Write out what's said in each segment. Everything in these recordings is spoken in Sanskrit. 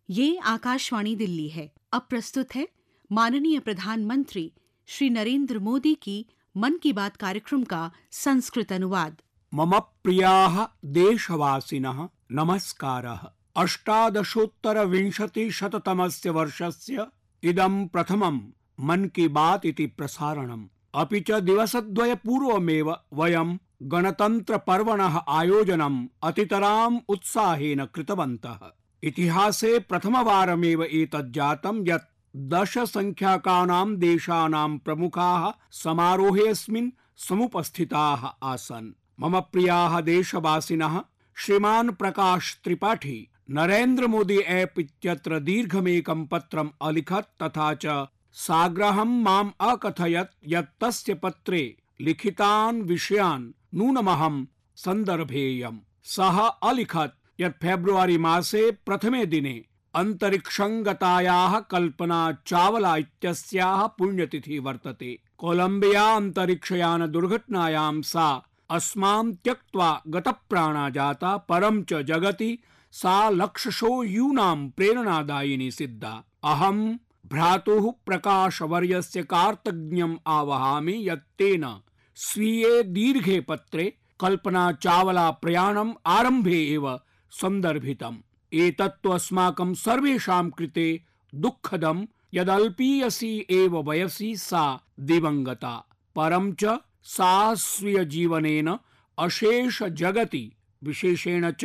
ये आकाशवाणी दिल्ली है। अब प्रस्तुत है माननीय प्रधानमंत्री श्री नरेंद्र मोदी की मन की बात कार्यक्रम का संस्कृत अनुवाद। मम प्रियाः देशवासिनः नमस्कारः। 1820-शततमस्य वर्षस्य इदं प्रथमं मन की बात इति प्रसारणम्। अपि च दिवसद्वय पूर्वमेव वयं गणतन्त्रपर्वणः आयोजनम् अतितराम् उत्साहेन कृतवन्तः। इतिहासे प्रथमवारमेव एतत् जातं यत् 10 संख्याकानां देशानां प्रमुखाः समारोहेऽस्मिन् समुपस्थिताः आसन्। मम प्रियाः देशवासिनः, श्रीमान् प्रकाश त्रिपाठी नरेंद्र मोदी ऐप इत्यत्र दीर्घमेकं पत्रम् अलिखत् तथा च साग्रहं माम् अकथयत् यत् तस्य पत्रे लिखितान् विषयान् नूनमहं सन्दर्भेयम्। सः अलिखत् यत् फेब्रुवरी मासे प्रथमे दिने अंतरिक्षं गतायाः कल्पना चावला इत्यस्याः पुण्यतिथि वर्तते। कोलंबिया अंतरिक्षयान दुर्घटनायां सा अस्मां त्यक्त्वा गतप्राणा जाता, परं च जगति सा लक्षशो यूनां प्रेरणादायिनी सिद्धा। अहं भ्रातुः प्रकाशवर्यस्य कार्तज्ञम् आवहामि यत् तेन स्वीये दीर्घे पत्रे कल्पना चावला प्रयाणम् आरम्भे एव सन्दर्भितम्। एतत्तु अस्माकं सर्वेषां कृते दुःखदं यदल्पीयसी एव वयसि सा दिवङ्गता, परं च सा स्वीयजीवनेन अशेष जगति विशेषेण च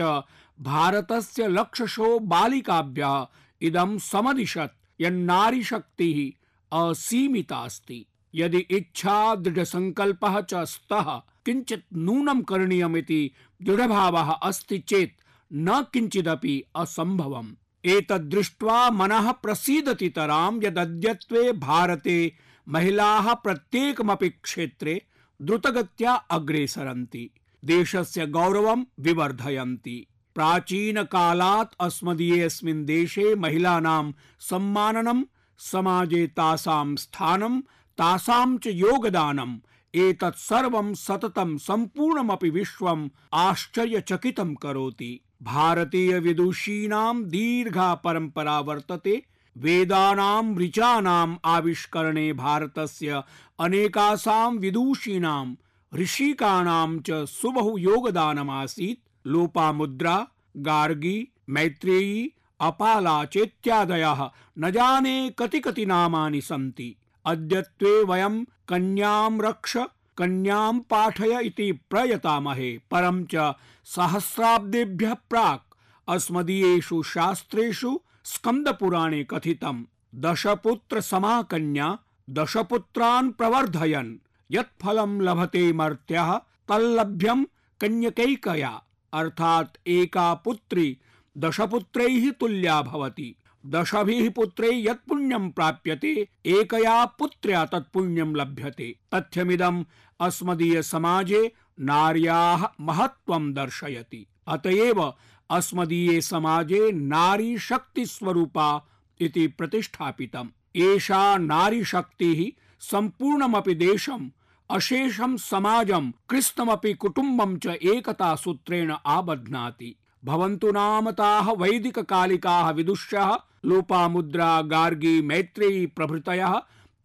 भारतस्य लक्षशो बालिकाभ्यः इदं समदिशत् यन्नारीशक्तिः असीमिता अस्ति। यदि इच्छा दृढसङ्कल्पः च स्तः किञ्चित् नूनं करणीयमिति दृढभावः अस्ति चेत् न किञ्चिदपि असम्भवम्। एतद्दृष्ट्वा मनः प्रसीदति तरां यदद्यत्वे भारते महिलाः प्रत्येकमपि क्षेत्रे द्रुतगत्या अग्रे सरन्ति, देशस्य गौरवं विवर्धयन्ति। प्राचीनकालात् अस्मदीयेऽस्मिन् देशे महिलानां सम्माननं, समाजे तासां स्थानं, तासां च योगदानम् एतत् सर्वं सततं सम्पूर्णमपि विश्वम् आश्चर्यचकितं करोति। भारतीय विदुषीणां दीर्घा परम्परा वर्तते। वेदानां ऋचानाम् आविष्करणे भारतस्य अनेकासां विदुषीणां ऋषिकाणां च सुबहु योगदानमासीत्। लोपामुद्रा, गार्गी, मैत्रेयी, अपाला चेत्यादयः न जाने कति नामानि सन्ति। अद्यत्वे वयं कन्यां रक्ष, कन्यां पाठय इति प्रयतामहे, परं च सहस्राब्देभ्यः प्राक् अस्मदीयेषु शास्त्रेषु स्कन्दपुराणे कथितं 10 पुत्र समा कन्या 10 पुत्रान् प्रवर्धयन् यत् फलं लभते मर्त्यः तल्लभ्यं कन्यकैकया, अर्थात् एका पुत्री 10 पुत्रैः तुल्या भवति। 10 पुत्रैः यत् पुण्यं प्राप्यते एकया पुत्र्या तत् पुण्यं लभ्यते। तथ्यमिदम् अस्मदीय समाजे नार्याः महत्त्वं दर्शयति। अतएव अस्मदीये समाजे नारी शक्ति स्वरूपा इति प्रतिष्ठापितम्। एषा नारी शक्तिः सम्पूर्णमपि देशम्, अशेषं समाजं, कृत्स्नमपि कुटुम्बं च एकता सूत्रेण आबध्नाति। भवन्तु नाम ताः वैदिककालिकाः विदुष्यः लोपामुद्रा, गार्गी, मैत्रेयी प्रभृतयः,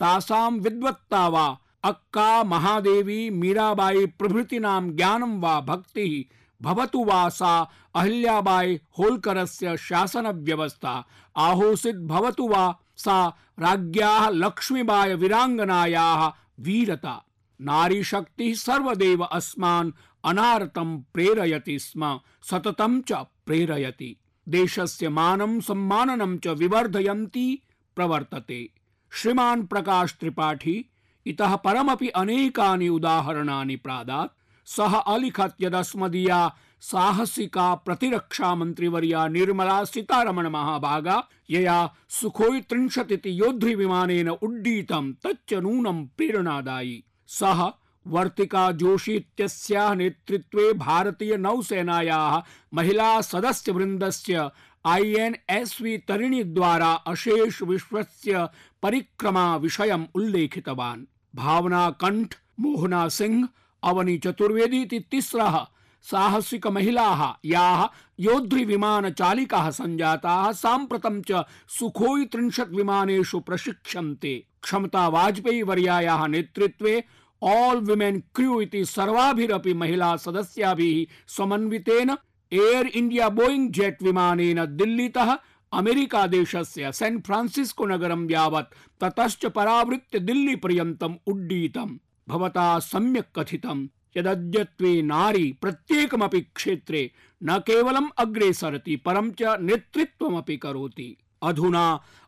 तासां विद्वत्ता वा अक्का, महादेवी, मीराबाई प्रभृतीनां ज्ञानं वा भक्तिः भवतु वा सा अहिल्याबाई होल्करस्य शासनव्यवस्था, आहोसित भवतु वा सा राज्ञ्याः लक्ष्मीबाई वीराङ्गनायाः वीरता। नारी शक्तिः सर्वदेव अस्मान् अनारतं प्रेरयति स्म, सततं च प्रेरयति। देशस्य मानं सम्माननं च विवर्धयन्ती प्रवर्तते। श्रीमान् प्रकाश त्रिपाठी इतः परमपि अनेकानि उदाहरणानि प्रादात्। सः अलिखत् यदस्मदीया साहसिका प्रतिरक्षा मन्त्रिवर्या निर्मला सीतारमण महाभागा यया सुखोई 30 इति योद्धृविमानेन उड्डीतं तच्च नूनं प्रेरणादायी। सः वर्तिका जोशी इत्यस्याः नेतृत्वे भारतीय नौसेनायाः महिला सदस्य वृन्दस्य INSV तरिणी द्वारा अशेष विश्वस्य परिक्रमा विषयम् उल्लेखितवान्। भावना कंठ, मोहना सिंह, अवनी चतुर्वेदी इति तिस्रः साहसिक महिलाः याः योद्धि विमान चालिकाः संजाताः साम्प्रतं च सुखोई 30 विमानेषु प्रशिक्षन्ते। क्षमता वाजपेयी वर्यायाः नेतृत्वे ऑल विमेन क्रू इति सर्वाभिरपि महिला सदस्याभिः समन्वितेन एयर इंडिया बोइंग जेट विमानेन दिल्लीतः अमेरिका देशस्य सैन् फ्रान्सिस्को नगरं यावत् ततश्च परावृत्य दिल्ली पर्यन्तम् उड्डीतम्। भवता सम्यक् कथितं यदद्यत्वे नारी प्रत्येकमपि क्षेत्रे न केवलम् अग्रे सरति परं च नेतृत्वमपि करोति। अधुना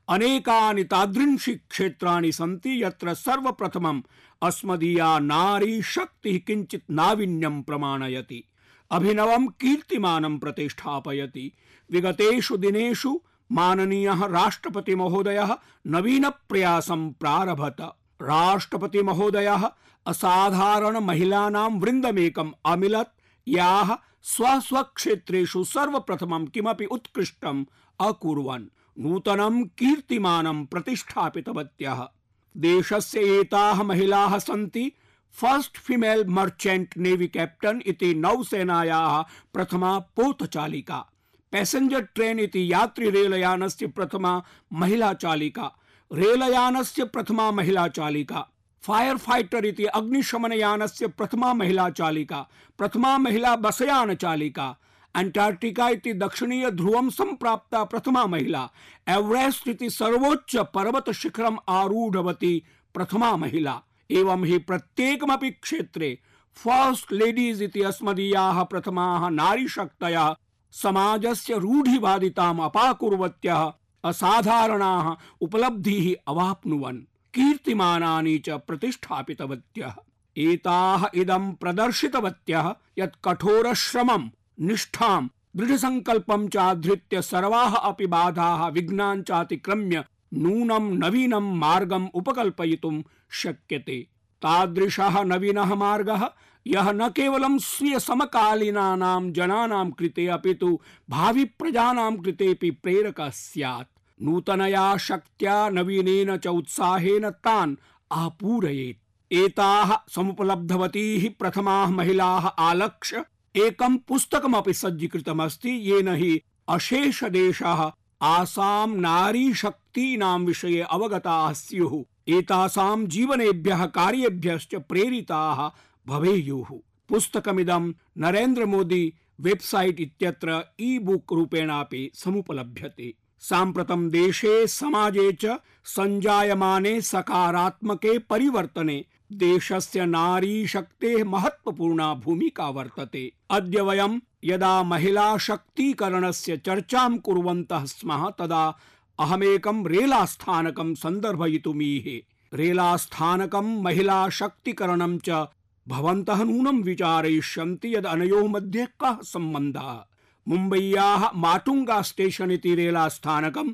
अनेकानि तादृशी क्षेत्राणि सन्ति यत्र सर्वप्रथमम् अस्मदीया नारी शक्तिः किञ्चित् नावीन्यं प्रमाणयति, अभिनवं कीर्तिमानं प्रतिष्ठापयति। विगतेषु दिनेषु माननीयः राष्ट्रपति महोदयः नवीन प्रयासं प्रारभत। राष्ट्रपति महोदयः असाधारण महिलानां वृन्दमेकम् अमिलत् याः स्वस्वक्षेत्रेषु सर्वप्रथमं किमपि उत्कृष्टम् अकुर्वन् नूतनं कीर्तिमानं प्रतिष्ठापितवत्यः। देशस्य एताः महिलाः सन्ति first female merchant navy captain इति नौसेनायाः प्रथमा पोतचालिका, पैसेंजर ट्रेन इति यात्री रेलयानस्य प्रथमा महिला चालिका, रेलयानस्य प्रथमा महिला चालिका, फायर फाइटर इति अग्निशमनयानस्य प्रथमा महिला चालिका, प्रथमा महिला बसयान चालिका, अंटार्क्टिका इति दक्षिणीय ध्रुवं संप्राप्ता प्रथमा महिला, एवरेस्ट इति सर्वोच्च पर्वत शिखरम् आरूढवती प्रथमा महिला। एवं हि प्रत्येकमपि क्षेत्रे फर्स्ट लेडीज इति अस्मदीयाः प्रथमाः नारीशक्तयः समाजस्य रूढिवादिताम् अपाकुर्वत्यः असाधारणाः उपलब्धिः अवाप्नुवन् कीर्तिमानानि च प्रतिष्ठापितवत्यः। एताः इदं प्रदर्शितवत्यः यत् कठोरश्रमं निष्ठां दृढसंकल्पं चाधृत्य सर्वाः अपि बाधाः विघ्नान् चातिक्रम्य नूनं नवीनं मार्गम् उपकल्पयितुं शक्यते। तादृशः नवीनः मार्गः यः न केवलं स्वीय समकालीनानां जनानां कृते अपितु भावि प्रजानां कृतेपि प्रेरकः स्यात्। नूतनया शक्त्या नवीनेन च उत्साहेन तान् आपूरयेत्। एताः समुपलब्धवतीः प्रथमाः महिलाः आलक्ष्य एकं पुस्तकमपि सज्जीकृतमस्ति, येन हि अशेष देशाः आसां नारी शक्तीनां विषये अवगताः स्युः, एतासां जीवनेभ्यः कार्येभ्यश्च प्रेरिताः भवेयुः। पुस्तकमिदं नरेंद्र मोदी वेबसाइट इत्यत्र ई बुक रूपेणापि समुपलभ्यते। साम्प्रतं देशे समाजे च संजायमाने सकारात्मके परिवर्तने देशस्य नारी शक्तेः महत्वपूर्णा भूमिका वर्तते। अद्य वयं यदा महिला शक्तीकरणस्य चर्चां कुर्वन्तः स्मः तदा अहमेकं रेलास्थानकं सन्दर्भयितुमीहे। रेलास्थानकं महिला शक्तीकरणं च भवन्तः नूनं विचारयिष्यन्ति यद् अनयोः मध्ये कः सम्बन्धः। मुम्बय्याः माटुंगा स्टेशन इति रेलास्थानकं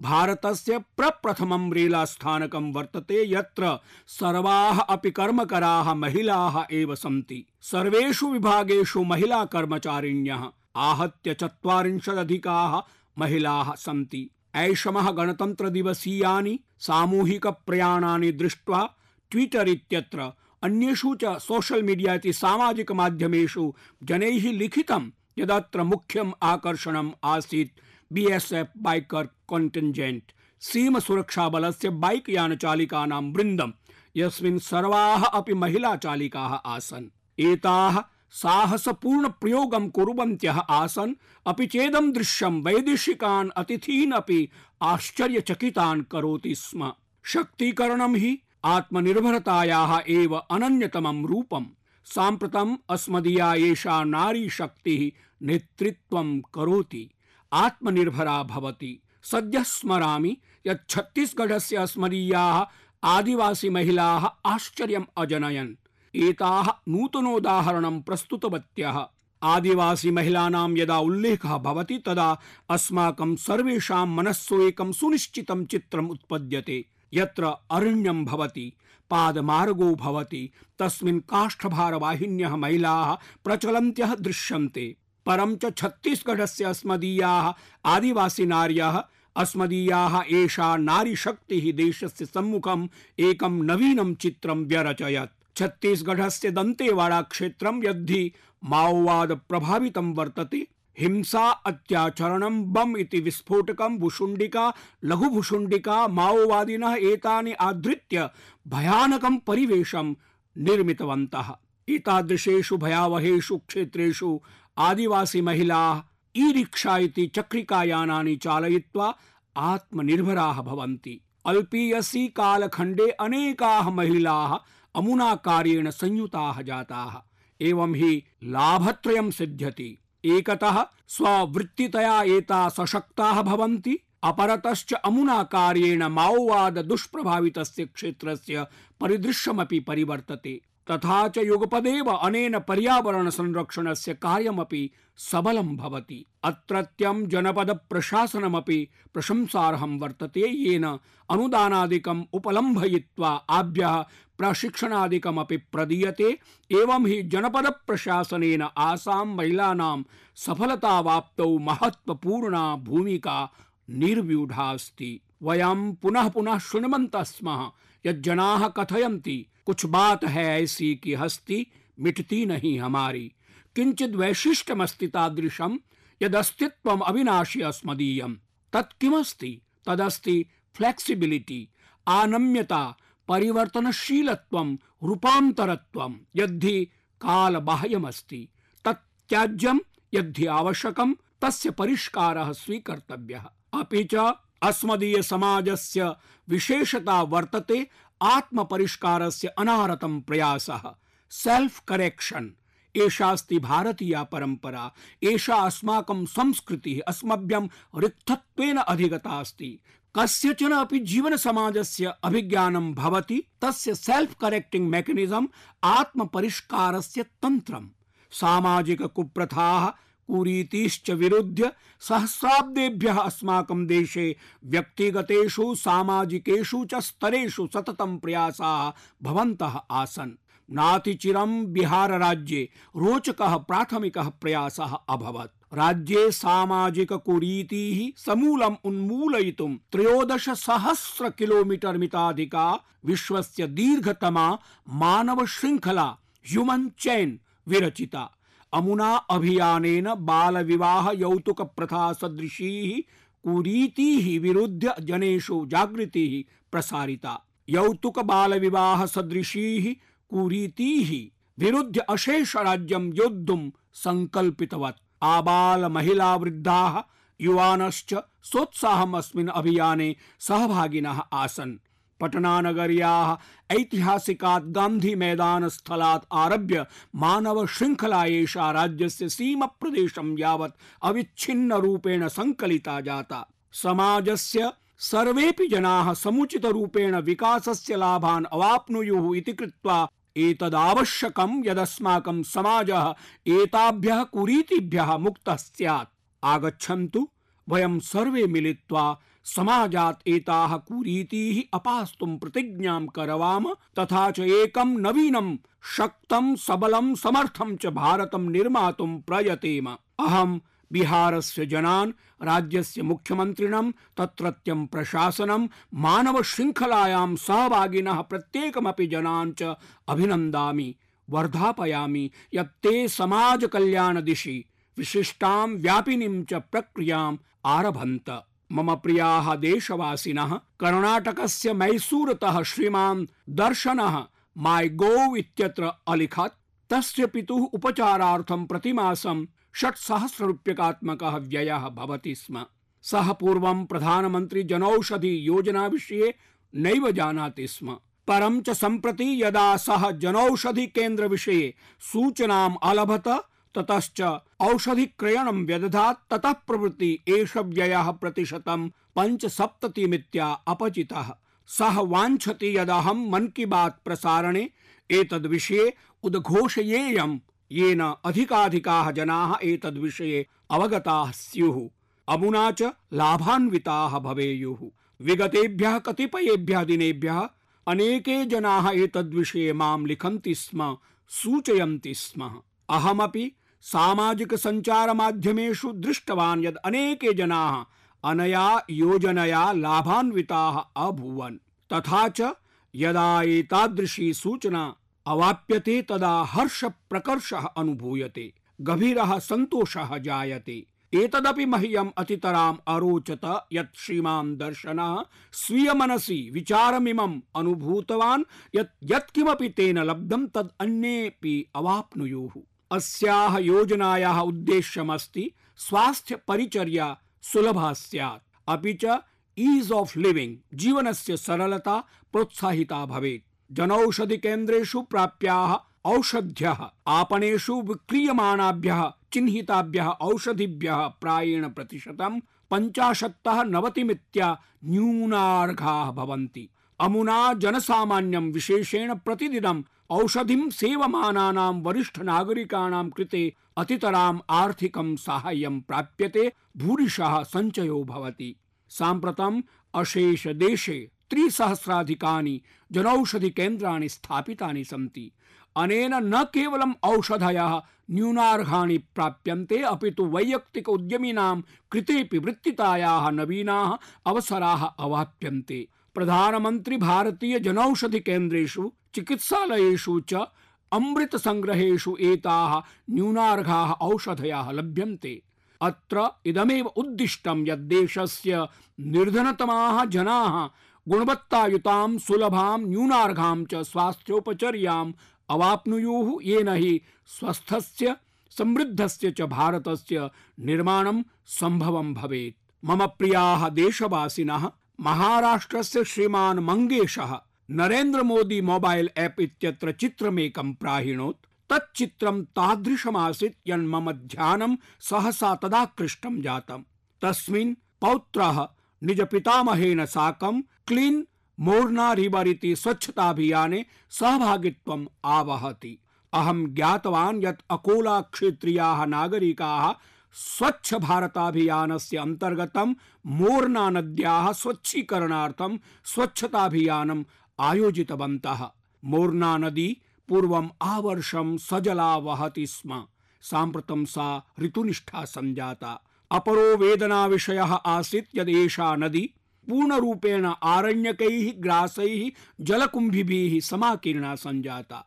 भारतस्य प्रप्रथमं रेलास्थानकं वर्तते, यत्र सर्वाः अपि कर्मकराः महिलाः एव सन्ति। सर्वेषु विभागेषु महिला कर्मचारिण्यः आहत्य 40 अधिकाः महिलाः सन्ति। ऐषमः गणतंत्र दिवसीयानि सामूहिक प्रयाणानि दृष्ट्वा ट्विटर इत्यत्र अन्येषु च सोशल मीडिया इति सामाजिक माध्यमेषु जनैः लिखितं यदत्र मुख्यम् आकर्षणम् आसीत् बीएसएफ बाइकर कॉन्टिन्जेंट, सीम सुरक्षा बलस्य बाइक यान चालिकानां वृन्दं, यस्मिन् सर्वाः अपि महिला चालिकाः आसन्। एताः साहसपूर्ण प्रयोगं कुर्वन्त्यः आसन्, अपि चेदं दृश्यं वैदेशिकान् अतिथीन् अपि आश्चर्यचकितान् करोति स्म। शक्तीकरणं हि आत्मनिर्भरतायाः एव अनन्यतमं रूपम्। साम्प्रतम् अस्मदीया एषा नारी शक्तिः नेतृत्वं करोति, आत्मनिर्भरा भवति। सद्यः स्मरामि यत् छत्तीसगढ़स्य अस्मदीयाः आदिवासी महिलाः आश्चर्यम् अजनयन्। एताः नूतनोदाहरणं प्रस्तुतवत्यः। आदिवासी महिलानां यदा उल्लेखः भवति तदा अस्माकं सर्वेषां मनस्सु एकं सुनिश्चितं चित्रम् उत्पद्यते, यत्र अरण्यं भवति, पादमार्गो भवति, तस्मिन् काष्ठभारवाहिन्यः महिलाः प्रचलन्त्यः दृश्यन्ते। परं च छत्तीसगढ़स्य अस्मदीयाः आदिवासी नार्यः अस्मदीयाः एषा नारी शक्तिः देशस्य सम्मुखम् एकं नवीनं चित्रं व्यरचयत्। छत्तीसगढ़स्य दन्तेवाड़ा क्षेत्रं यद्धि माओवाद प्रभावितं वर्तते। हिंसा, अत्याचरणं, बम इति विस्फोटकं, भुशुण्डिका, लघुभुशुण्डिका, माओवादिनः एतानि आधृत्य भयानकं परिवेशं निर्मितवन्तः। एतादृशेषु भयावहेषु क्षेत्रेषु आदिवासी महिलाः ई-रिक्शा इति चक्रिकायानानि चालयित्वा आत्मनिर्भराः भवन्ति। अल्पीयसि कालखण्डे अनेकाः महिलाः अमुना कार्येण संयुताः जाताः। एवं हि लाभत्रयं सिद्ध्यति। एकतः स्ववृत्तितया एता सशक्ताः भवन्ति, अपरतश्च अमुना कार्येण माओवाद दुष्प्रभावितस्य क्षेत्रस्य परिदृश्यमपि परिवर्तते। तथा च युगपदेव अनेन पर्यावरण संरक्षणस्य कार्यमपि सबलं भवति। अत्रत्यं जनपद प्रशासनमपि प्रशंसार्हं वर्तते, येन अनुदानादिकम् उपलम्भयित्वा आभ्यः प्रशिक्षणादिकमपि प्रदीयते। एवं हि जनपद प्रशासनेन आसां महिलानां सफलतावाप्तौ महत्वपूर्णा भूमिका निर्व्यूढा अस्ति। वयं पुनः पुनः शृण्वन्तः स्मः यत् जनाः कथयन्ति, कुछ बात है ऐसी कि हस्ती मिटती नहीं हमारी। किंचित वैशिष्ट्यमस्ति तादृशं यदस्तित्वम् अविनाशी अस्मदीयं। तत् किमस्ति? तदस्ति फ्लेक्सिबिलिटी, आनम्यता, परिवर्तनशीलत्वं, रूपान्तरत्वं। यद्धि कालबाह्यमस्ति तत् त्याज्यं, यद्धि आवश्यकं तस्य परिष्कारः स्वीकर्तव्यः। अपि च अस्मदीय समाजस्य विशेषता वर्तते आत्मपरिष्कारस्य अनारतं प्रयासः, सेल्फ करेक्शन। एषास्ति भारतीया परंपरा, एषा अस्माकं संस्कृतिः अस्मभ्यं रिक्तत्वेन अधिगता अस्ति। कस्यचन अपि जीवन समाजस्य अभिज्ञानं भवति तस्य सेल्फ करेक्टिंग मेकानिज्म आत्मपरिष्कारस्य तंत्रम्। सामाजिक कुप्रथाः, कुरीतिश्च विरुद्ध्य सहस्राब्देभ्यः अस्माकं देशे व्यक्तिगतेषु सामाजिकेषु च स्तरेषु सततं प्रयासाः भवन्तः आसन्। नातिचिरं बिहार राज्ये रोचकः प्राथमिकः प्रयासः अभवत्। राज्ये सामाजिक कुरीतिः समूलम् उन्मूलयितुं 13,000 किलोमीटर मिताधिका विश्वस्य दीर्घतमा मानव श्रृंखला ह्यूमन चेन विरचिता। अमुना अभियानेन बाल विवाह यौतुक प्रथा सदृशीः कुरीतिः विरुद्ध जनेषु जागृतिः प्रसारिता। यौतुक बाल विवाह सदृशीः कुरीतिः विरुद्ध अशेष राज्यं योद्धुं संकल्पितवत्। आबाल महिला वृद्धाः युवानश्च सोत्साहम् अस्मिन् अभियाने सहभागिनः आसन्। पटनानगर्याः ऐतिहासिकात् गान्धी मैदान स्थलात् आरभ्य मानव श्रृंखला एषा राज्यस्य सीम प्रदेशं यावत् अविच्छिन्न रूपेण संकलिता जाता। समाजस्य सर्वेपि जनाः समुचित रूपेण विकासस्य लाभान् अवाप्नुयुः इति कृत्वा एतदावश्यकं यदस्माकं समाजः एताभ्यः कुरीतिभ्यः मुक्तः स्यात्। आगच्छन्तु वयं सर्वे मिलित्वा समाजात् एताः कुरीतिः अपास्तुं प्रतिज्ञां करवाम, तथा च एकं नवीनं शक्तं सबलं समर्थं च भारतं निर्मातुं प्रयतेम। अहं बिहारस्य जनान्, राज्यस्य मुख्यमन्त्रिणं, तत्रत्यं प्रशासनं, मानव श्रृंखलायां सहभागिनः प्रत्येकमपि जनान् च अभिनन्दामि, वर्धापयामि यत् ते समाज कल्याण दिशि विशिष्टां व्यापिनीं च प्रक्रियाम् आरभन्त। मम प्रियाः देशवासिनः, कर्णाटकस्य मैसूरतः श्रीमान् दर्शनः माई गोव इत्यत्र अलिखत्। तस्य पितुः उपचारार्थं प्रतिमासं 6,000 रूप्यकात्मकः व्ययः भवति स्म। सः पूर्वं प्रधानमन्त्री जनौषधि योजना विषये नैव जानाति स्म। परं च सम्प्रति यदा सः जनौषधि केन्द्र विषये सूचनाम् अलभत, ततश्च औषधि क्रयणं व्यदधात्, ततः प्रभृति एष व्ययः प्रतिशतं 75 अपचितः। सः वाञ्छति यदहं मन की बात प्रसारणे एतद्विषये उद्घोषयेयं, येन अधिकाधिकाः जनाः एतद्विषये अवगताः स्युः, अमुना च लाभान्विताः भवेयुः। विगतेभ्यः कतिपयेभ्यः दिनेभ्यः अनेके जनाः एतद्विषये मां लिखन्ति स्म, सूचयन्ति स्म। अहमपि सामाजिक संचार माध्यमेषु दृष्टवान् यद् अनेके जनाः अनया योजनया लाभान्विताः अभूवन्। तथा च यदा एतादृशी सूचना अवाप्यते तदा हर्ष प्रकर्षः अनुभूयते, गभीरः सन्तोषः जायते। एतदपि मह्यम् अतितराम् अरोचत यत् श्रीमान् दर्शनः स्वीय मनसि विचारमिमम् अनुभूतवान् यत् यत्किमपि तेन लब्धं तद् अन्येऽपि अवाप्नुयुः। अस्याः योजनायाः उद्देश्यमस्ति स्वास्थ्य परिचर्या सुलभा स्यात्, अपि च ईज ऑफ लिविंग जीवनस्य सरलता प्रोत्साहिता भवेत्। जनौषधि केन्द्रेषु प्राप्याः औषध्यः आपणेषु विक्रीयमाणाभ्यः चिह्निताभ्यः औषधिभ्यः प्रायेण प्रतिशतं 50-90 न्यूनार्घाः भवन्ति। अमुना जनसामान्यं विशेषेण प्रतिदिनं औषधिं सेवमानानां वरिष्ठ नागरिकाणां कृते अतितराम् आर्थिकं साहाय्यं प्राप्यते, भूरिशः सञ्चयो भवति। साम्प्रतम् अशेष देशे 3,000-अधिकानि जनौषधि केन्द्राणि स्थापितानि सन्ति। अनेन न केवलम् औषधयः न्यूनार्घाणि प्राप्यन्ते, अपि तु वैयक्तिक उद्यमिनां कृतेपि वृत्तितायाः नवीनाः अवसराः अवाप्यन्ते। प्रधानमन्त्री भारतीय जनौषधि केन्द्रेषु चिकित्सालयेषु च अमृत संग्रहेषु एताः न्यूनार्घाः औषधयः लभ्यन्ते। अत्र इदमेव उद्दिष्टं यत् देशस्य निर्धनतमाः जनाः गुणवत्तायुतां सुलभां न्यूनार्घां च स्वास्थ्योपचर्याम् अवाप्नुयुः, येन हि स्वस्थस्य समृद्धस्य च भारतस्य निर्माणं सम्भवं भवेत्। मम प्रियाः देशवासिनः, महाराष्ट्रस्य श्रीमान् मंगेशः नरेन्द्र मोदी मोबाइल ऐप इत्यत्र चित्रमेकं प्राहिणोत्। तच्चित्रं तादृशमासीत् यन् मम ध्यानं सहसा तदाकृष्टं जातम्। तस्मिन् पौत्रः निज पितामहेन साकं क्लीन् मोर्ना रिवर इति स्वच्छताभियाने सहभागित्वम् आवहति। अहं ज्ञातवान् यत् अकोला क्षेत्रीयाः नागरिकाः स्वच्छ भारताभियानस्य अन्तर्गतं मोर्ना नद्याः स्वच्छीकरणार्थं स्वच्छताभियानम् आयोजितवन्तः। मोर्ना नदी पूर्वम् आवर्षं सजला वहति स्म। साम्प्रतं सा ऋतुनिष्ठा सञ्जाता। अपरो वेदना विषयः आसीत् यद् एषा नदी पूर्णरूपेण आरण्यकैः ग्रासैः जलकुम्भिभिः समाकीर्णा सञ्जाता।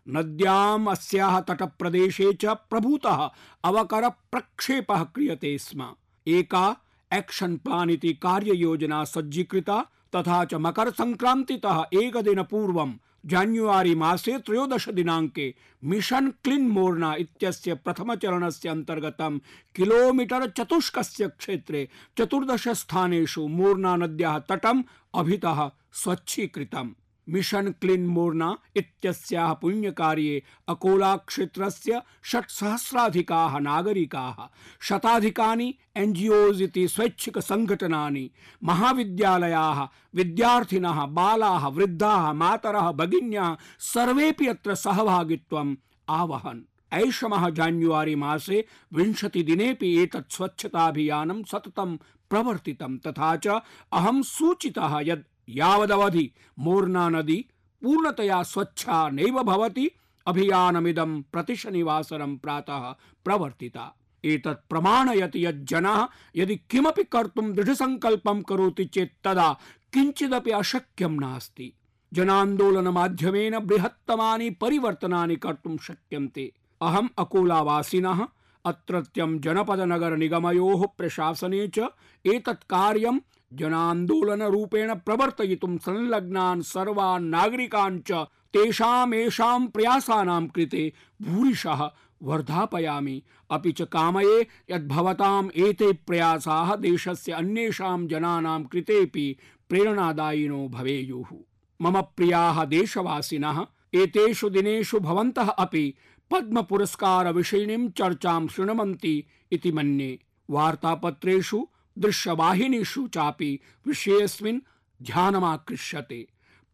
नद्याम् अस्याः तटप्रदेशे च प्रभूतः अवकर प्रक्षेपः क्रियते स्म। एका एक्शन प्लान इति कार्ययोजना सज्जीकृता, तथा च मकर संक्रान्तितः एकदिन पूर्वं जान्युआरी मासे 13 दिनाङ्के मिशन क्लीन मोर्ना इत्यस्य प्रथमचरणस्य अन्तर्गतं किलोमीटर चतुष्कस्य क्षेत्रे 14 स्थानेषु मोर्ना नद्याः तटम् अभितः स्वच्छीकृतम्। मिशन क्लीन मोर्ना इत्यस्याः पुण्यकार्ये अकोला क्षेत्रस्य 6,000-अधिकाः नागरिकाः, शताधिकानि NGOs इति स्वैच्छिक संघटनानि, महाविद्यालयाः, विद्यार्थिनः, बालाः, वृद्धाः, मातरः, भगिन्यः सर्वेपि अत्र सहभागित्वम् आवहन्। ऐषमः जान्युआरी मासे 20 दिनेपि एतत् स्वच्छताभियानं सततं प्रवर्तितं। तथा च अहं सूचितः यत् यावदवधि मोर्ना नदी पूर्णतया स्वच्छा नैव भवति, अभियानमिदं प्रतिशनिवासरं प्रातः प्रवर्तिता। एतत् प्रमाणयति यत् जनाः यदि किमपि कर्तुं दृढसङ्कल्पं करोति चेत् तदा किञ्चिदपि अशक्यं नास्ति। जनान्दोलनमाध्यमेन बृहत्तमानि परिवर्तनानि कर्तुं शक्यन्ते। अहम् अकोलावासिनः, अत्रत्यं जनपदनगर निगमयोः प्रशासने च एतत् कार्यं जनान्दोलनरूपेण प्रवर्तयितुं संलग्नान् सर्वान् नागरिकान् च तेषां प्रयासानां कृते भूरिशः वर्धापयामि। अपि च कामये यत् भवताम् एते प्रयासाः देशस्य अन्येषां जनानां कृतेपि प्रेरणादायिनो भवेयुः। मम प्रियाः देशवासिनः, एतेषु दिनेषु भवन्तः अपि पद्म पुरस्कार विषयिणीं चर्चां शृण्वन्ति इति मन्ये। वार्तापत्रेषु, दृश्यवाहिनीषु चापि विषयेऽस्मिन् ध्यानमाकृष्यते।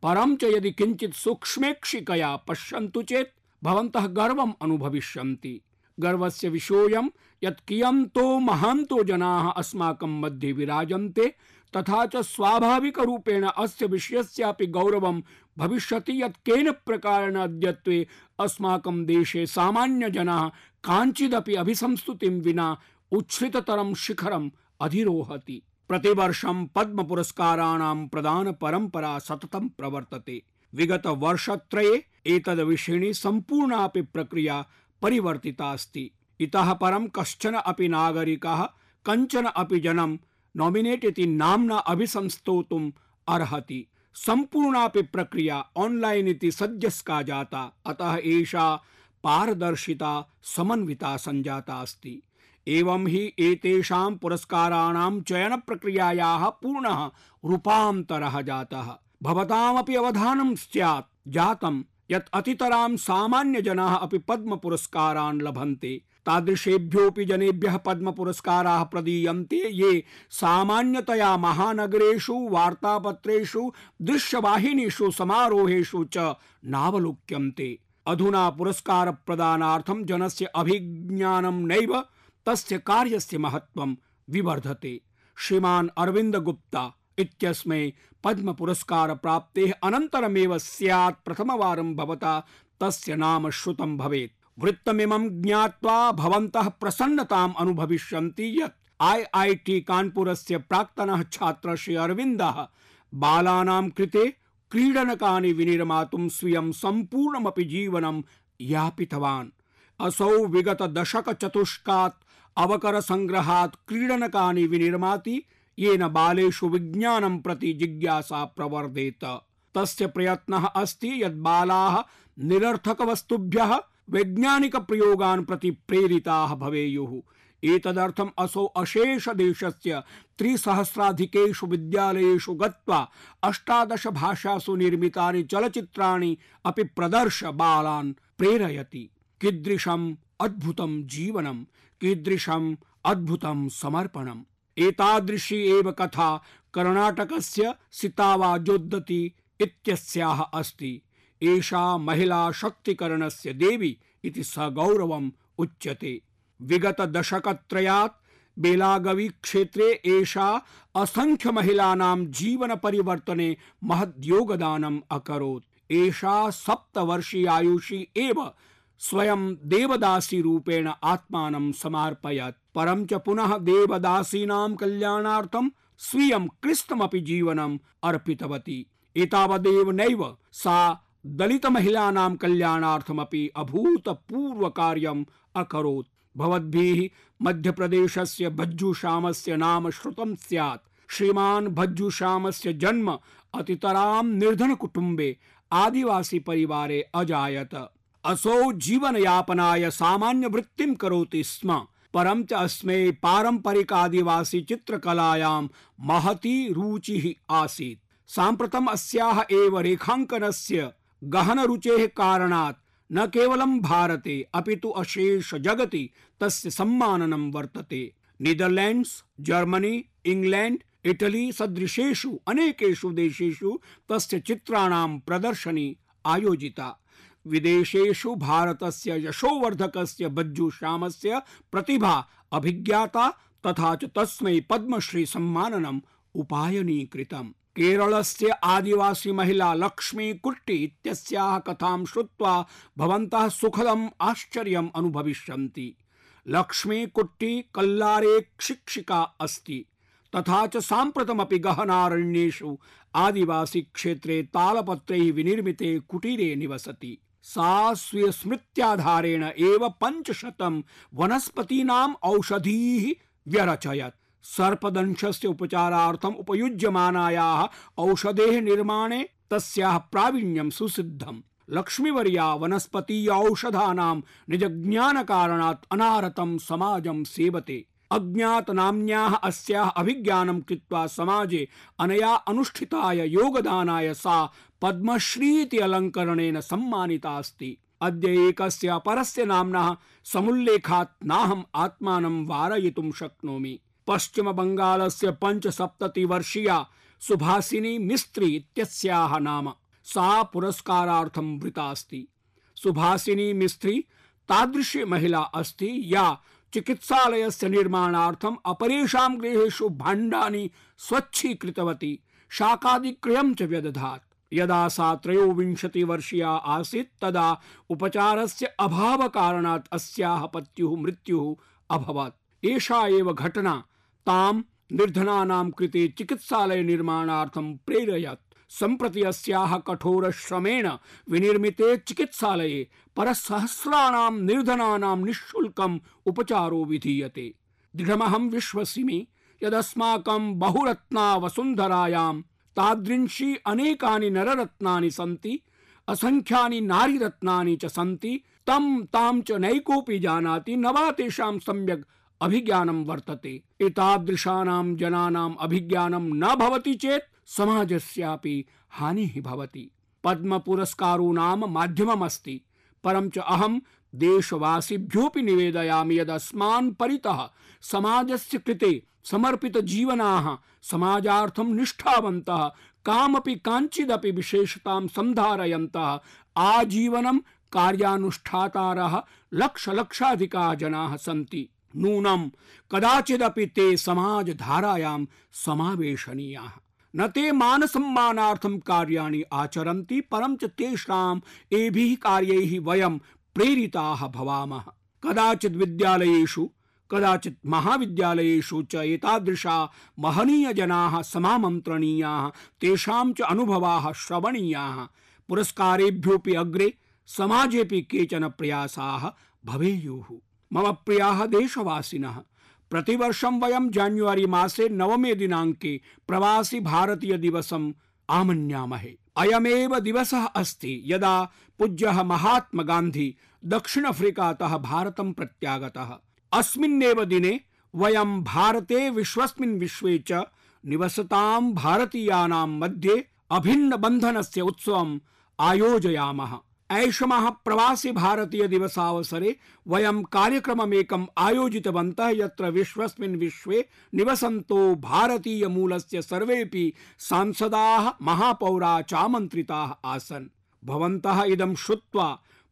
परं च यदि किञ्चित् सूक्ष्मेक्षिकया पश्यन्तु चेत् भवन्तः गर्वम् अनुभविष्यन्ति। गर्वस्य विषयोऽयं यत् कियन्तो महान्तो जनाः अस्माकं मध्ये विराजन्ते, तथा च स्वाभाविकरूपेण अस्य विषयस्यापि गौरवं भविष्यति यत् केन प्रकारेण अद्यत्वे अस्माकं देशे सामान्यजनाः काञ्चिदपि अभिसंस्तुतिं विना उच्छ्रिततरं शिखरम् अधिरोहति। प्रतिवर्षं पद्म पुरस्काराणां प्रदान परंपरा सततं प्रवर्तते। विगत वर्षत्रये एतद्विषयिणी सम्पूर्णापि प्रक्रिया परिवर्तिता अस्ति। इतः परं कश्चन अपि नागरिकः कञ्चन अपि जनं नॉमिनेट इति नाम्ना अभिसंस्तोतुम् अर्हति। सम्पूर्णापि प्रक्रिया ऑनलाइन इति सद्यस्का जाता, अतः एषा पारदर्शिता समन्विता संजाता अस्ति। एवं हि एतेषां पुरस्काराणां चयन प्रक्रियायाः पूर्णः रूपान्तरः जातः। भवतामपि अवधानं स्यात् जातं यत् अतितरां सामान्यजनाः अपि पद्म पुरस्कारान् लभन्ते। तादृशेभ्योऽपि जनेभ्यः पद्म पुरस्काराः प्रदीयन्ते ये सामान्यतया महानगरेषु, वार्तापत्रेषु, दृश्यवाहिनीषु, समारोहेषु च नावलोक्यन्ते। अधुना पुरस्कार प्रदानार्थं जनस्य अभिज्ञानं नैव तस्य कार्यस्य महत्त्वं विवर्धते। श्रीमान् अरविन्द गुप्ता इत्यस्मै पद्म पुरस्कार प्राप्तेः अनन्तरमेव स्यात् प्रथमवारं भवता तस्य नाम श्रुतं भवेत्। वृत्तमिमं ज्ञात्वा भवन्तः प्रसन्नताम् अनुभविष्यन्ति यत् IIT कानपुरस्य प्राक्तनः छात्रः श्री अरविन्दः बालानां कृते क्रीडनकानि विनिर्मातुं स्वीयं सम्पूर्णमपि जीवनं यापितवान्। असौ विगत दशक चतुष्कात् अवकर संग्रहात् क्रीडनकानि विनिर्माति, येन बालेषु विज्ञानं प्रति जिज्ञासा प्रवर्धेत। तस्य प्रयत्नः अस्ति यत् बालाः निरर्थक वस्तुभ्यः वैज्ञानिक प्रयोगान् प्रति प्रेरिताः भवेयुः। एतदर्थम् असौ अशेष देशस्य 3,000 विद्यालयेषु गत्वा 18 भाषासु निर्मितानि चलचित्राणि अपि प्रदर्श्य बालान् प्रेरयति। कीदृशम् अद्भुतं जीवनं, कीदृशम् अद्भुतं समर्पणम्। एतादृशी एव कथा कर्णाटकस्य सितावा जोद्दती इत्यस्याः अस्ति। एषा महिला शक्तिकरणस्य देवी इति सगौरवम् उच्यते। विगत दशकत्रयात् बेलागवी क्षेत्रे एषा असंख्य महिलानां जीवन परिवर्तने महद्योगदानम् अकरोत्। एषा 7 वर्षीयायुषी एव स्वयं देवदासी रूपेण आत्मानं समर्पयत्। परं च पुनः देवदासीनां कल्याणार्थं स्वीयं कृष्णमपि जीवनम् अर्पितवती। एतावदेव नैव सा दलित महिलानां कल्याणार्थमपि अभूतपूर्व कार्यम् अकरोत्। भवद्भिः मध्यप्रदेशस्य भज्जूश्यामस्य नाम श्रुतं स्यात्। श्रीमान् भज्जूश्यामस्य जन्म अतितरां निर्धन कुटुम्बे आदिवासी परिवारे अजायत। असौ जीवनयापनाय सामान्य वृत्तिं करोति स्म, परं च अस्मै पारंपरिक आदिवासी चित्रकलायां महती रुचिः आसीत्। साम्प्रतम् अस्याः एव रेखाङ्कनस्य गहन रुचेः कारणात् न केवलं भारते अपितु अशेष जगति तस्य सम्माननं वर्तते। नीदरलैंड्स, जर्मनी, इंग्लैंड, इटली सदृशेषु अनेकेषु देशेषु तस्य चित्राणां प्रदर्शनी आयोजिता। विदेशेषु भारतस्य यशोवर्धकस्य भज्जूश्यामस्य प्रतिभा अभिज्ञाता, तथा च तस्मै पद्मश्री सम्माननम् उपायनीकृतम्। केरलस्य आदिवासी महिला लक्ष्मी कुट्टी इत्यस्याः कथां श्रुत्वा भवन्तः सुखदम् आश्चर्यम् अनुभविष्यन्ति। लक्ष्मी कुट्टी कल्लारे शिक्षिका अस्ति, तथा च साम्प्रतमपि गहनारण्येषु आदिवासी क्षेत्रे तालपत्रैः विनिर्मिते कुटीरे निवसति। सा स्वीयस्मृत्याधारेण एव 500 वनस्पतीनाम् औषधीः व्यरचयत्। सर्पदंशस्य उपचारार्थम् उपयुज्यमानायाः औषधेः निर्माणे तस्याः प्रावीण्यं सुसिद्धम्। लक्ष्मीवर्या वनस्पतीय औषधानां निजज्ञानकारणात् अनारतं समाजं सेवते। अज्ञातनाम्न्याः अस्याः अभिज्ञानं कृत्वा समाजे अनया अनुष्ठिताय योगदानाय सा पद्मश्रीति अलङ्करणेन सम्मानिता अस्ति। अद्य एकस्य अपरस्य नाम्नः समुल्लेखात् नाहम् आत्मानं वारयितुं शक्नोमि। पश्चिम बंगालस्य 75 वर्षीया सुभासिनी मिस्त्री इत्यस्याः नाम। सा पुरस्कारार्थं वृता अस्ति। सुभासिनी मिस्त्री तादृशी महिला अस्ति या चिकित्सालयस्य निर्माणार्थम् अपरेषां गृहेषु भाण्डानि स्वच्छीकृतवती, शाकादिक्रयं च व्यदधात्। यदा सा 23 वर्षीया आसीत् तदा उपचारस्य अभावकारणात् अस्याः पत्युः मृत्युः अभवत्। एषा एव घटना तां निर्धनानां कृते चिकित्सालय निर्माणार्थं प्रेरयत्। सम्प्रति अस्याः कठोरश्रमेण विनिर्मिते चिकित्सालये परसहस्राणां निर्धनानां निःशुल्कम् उपचारो विधीयते। दृढमहं विश्वसिमि यदस्माकं बहुरत्ना वसुन्धरायां तादृशी अनेकानि नररत्नानि सन्ति, असंख्यानि नारीरत्नानि च सन्ति, तं तां च नैकोऽपि जानाति, न वा तेषां सम्यक् अभिज्ञानं वर्तते। एतादृशानां जनानाम् अभिज्ञानं न भवति चेत् समाजस्यापि हानिः भवति। पद्म पुरस्कारो नाम माध्यममस्ति, परं च अहं देशवासिभ्योऽपि निवेदयामि यदस्मान् परितः समाजस्य कृते समर्पित जीवनाः, समाजार्थं निष्ठावन्तः, कामपि काञ्चिदपि विशेषतां सन्धारयन्तः आजीवनं कार्यानुष्ठातारः लक्षाधिकाः जनाः सन्ति। नूनं कदाचिदपि ते समाजधारायां समावेशनीयाः। न ते मानसम्मानार्थं कार्याणि आचरन्ति, परं च तेषाम् एभिः कार्यैः वयं प्रेरिताः भवामः। कदाचित् विद्यालयेषु, कदाचित् महाविद्यालयेषु च एतादृशा महनीयजनाः समामन्त्रणीयाः, तेषां च अनुभवाः श्रवणीयाः। पुरस्कारेभ्योऽपि अग्रे समाजेऽपि केचन प्रयासाः भवेयुः। मम प्रियाः देशवासिनः, प्रतिवर्षं वयं जान्युआरी मासे 9 दिनाङ्के प्रवासी भारतीय दिवसम् आमन्यामहे। अयमेव दिवसः अस्ति यदा पूज्यः महात्मा गान्धी दक्षिण अफ्रीकातः भारतं प्रत्यागतः। अस्मिन्नेव दिने वयं भारते विश्वस्मिन् विश्वे च निवसतां भारतीयानां मध्ये अभिन्न बन्धनस्य उत्सवम् आयोजयामः। ऐषमः प्रवासी भारतीय दिवसावसरे वयं कार्यक्रममेकम् आयोजितवन्तः, यत्र विश्वस्मिन् विश्वे निवसन्तो भारतीय मूलस्य सर्वेपि सांसदाः, महापौराः च आमन्त्रिताः आसन्। भवन्तः इदं श्रुत्वा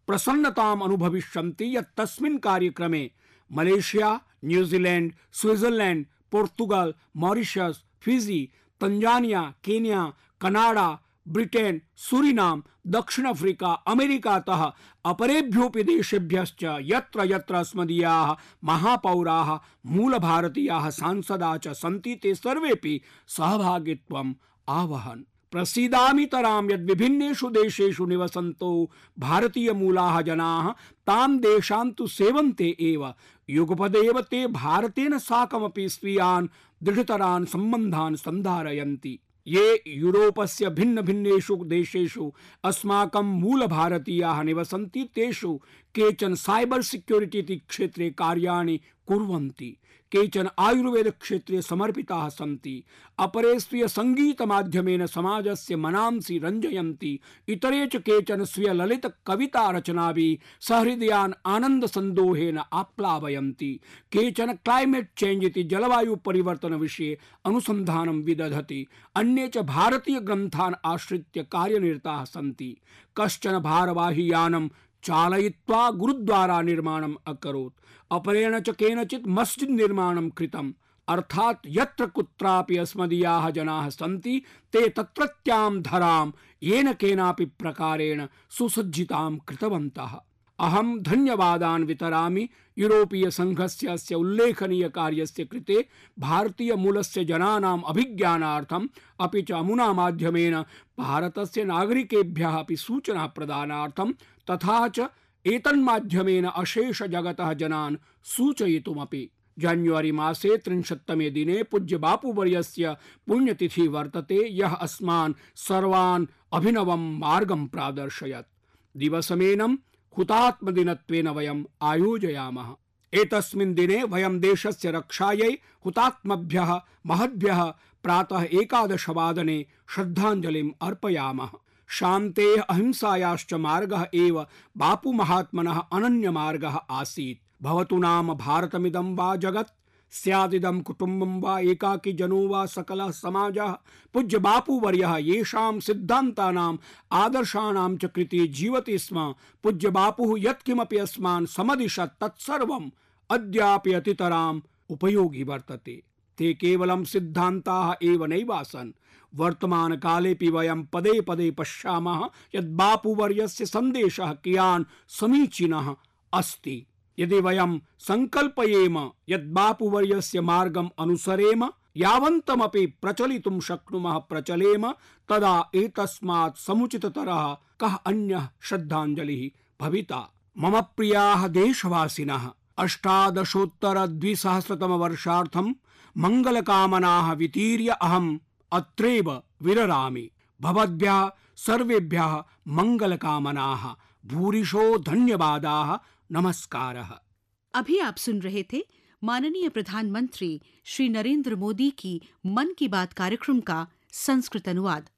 प्रसन्नताम् अनुभविष्यन्ति यत् तस्मिन् कार्यक्रमे Malaysia, New Zealand, Switzerland, Portugal, Mauritius, Fiji, Tanzania, Kenya, Canada, Britain, Suriname, दक्षिण अफ्रीका, अमेरिकातः अपरेभ्योऽपि देशेभ्यश्च यत्र यत्र अस्मदीयाः महापौराः, मूलभारतीयाः सांसदाः च सन्ति, ते सर्वेपि सहभागित्वम् आवहन्। प्रसीदामितरां यद् विभिन्नेषु देशेषु निवसन्तो भारतीय मूलाः जनाः तां देशान् तु सेवन्ते एव, युगपदेव ते भारतेन साकमपि स्वीयान् दृढतरान् सम्बन्धान् सन्धारयन्ति। ये यूरोपस्य भिन्न भिन्नेषु देशेषु अस्माकं मूल भारतीयाः निवसन्ति, तेषु केचन साइबर सिक्योरिटी इति क्षेत्रे कार्याणि कुर्वन्ति, केचन आयुर्वेद क्षेत्रे समर्पिताः सन्ति, अपरे स्वीय संगीत माध्यमेन समाजस्य मनांसि रञ्जयन्ति, इतरे च केचन स्वीय ललित कविता रचनाभिः सहृदयान् आनंद संदोहेन आप्लावयन्ति, केचन क्लाइमेट चेंज इति जलवायु परिवर्तन विषये अनुसंधानं विदधति, अन्ये च भारतीय ग्रन्थान् आश्रित्य कार्यनिरताः सन्ति। कश्चन भारवाही यानं चालयित्वा गुरुद्वारा निर्माणम् अकरोत्, अपरेण च केनचित् मस्जिद निर्माणं कृतम्। अर्थात् यत्र कुत्रापि अस्मदीयाः जनाः सन्ति, ते तत्रत्यां धरां येन केनापि प्रकारेण सुसज्जितां कृतवन्तः। अहं धन्यवादान् वितरामि यूरोपीय संघस्य अस्य उल्लेखनीय कार्यस्य कृते, भारतीय मूलस्य जनानाम् अभिज्ञानार्थम्, अपि च अमुना माध्यमेन भारतस्य नागरिकेभ्यः अपि सूचना प्रदानार्थं, तथा च एतन्माध्यमेन अशेष जगतः जनान् सूचयितुमपि। जान्युआरी मासे 30तमे दिने पूज्य बापूवर्यस्य पुण्यतिथि वर्तते, यः अस्मान् सर्वान् अभिनवं मार्गं प्रादर्शयत्। दिवसमेनं हुतात्मदिनत्वेन वयम् आयोजयामः। एतस्मिन् दिने वयं देशस्य रक्षायै हुतात्मभ्यः महद्भ्यः प्रातः 11 वादने श्रद्धाञ्जलिम् अर्पयामः। शान्तेः अहिंसायाश्च मार्गः एव बापू महात्मनः अनन्य मार्गः आसीत्। भवतु नाम भारतमिदं वा जगत्, स्यादिदं कुटुम्बं वा एकाकी जनो वा सकलः समाजः, पूज्य बापूवर्यः येषां सिद्धान्तानाम् आदर्शाणां च कृते जीवति स्म, पूज्य बापुः यत्किमपि अस्मान् समदिशत् तत्सर्वम् अद्यापि अतितराम् उपयोगी वर्तते। ते केवलं सिद्धान्ताः एव नैवासन्, वर्तमानकालेऽपि वयं पदे पदे पश्यामः यत् बापूवर्यस्य सन्देशः कियान् समीचीनः अस्ति। यदि वयं संकल्पयेम यत् बापूवर्यस्य मार्गम् अनुसरेम यावन्तमपि प्रचलितुं शक्नुमः प्रचलेम तदा एतस्मात् समुचिततरः कः अन्यः श्रद्धाञ्जलिः भविता। मम प्रियाः देशवासिनः, 1800-2000 मङ्गलकामनाः वितीर्य अहम् अत्रैव विररामि। भवद्भ्यः सर्वेभ्यः मङ्गलकामनाः, भूरिशो धन्यवादाः, नमस्कारः। अभी आप सुन रहे थे माननीय प्रधानमंत्री श्री नरेंद्र मोदी की मन की बात कार्यक्रम का संस्कृत अनुवाद।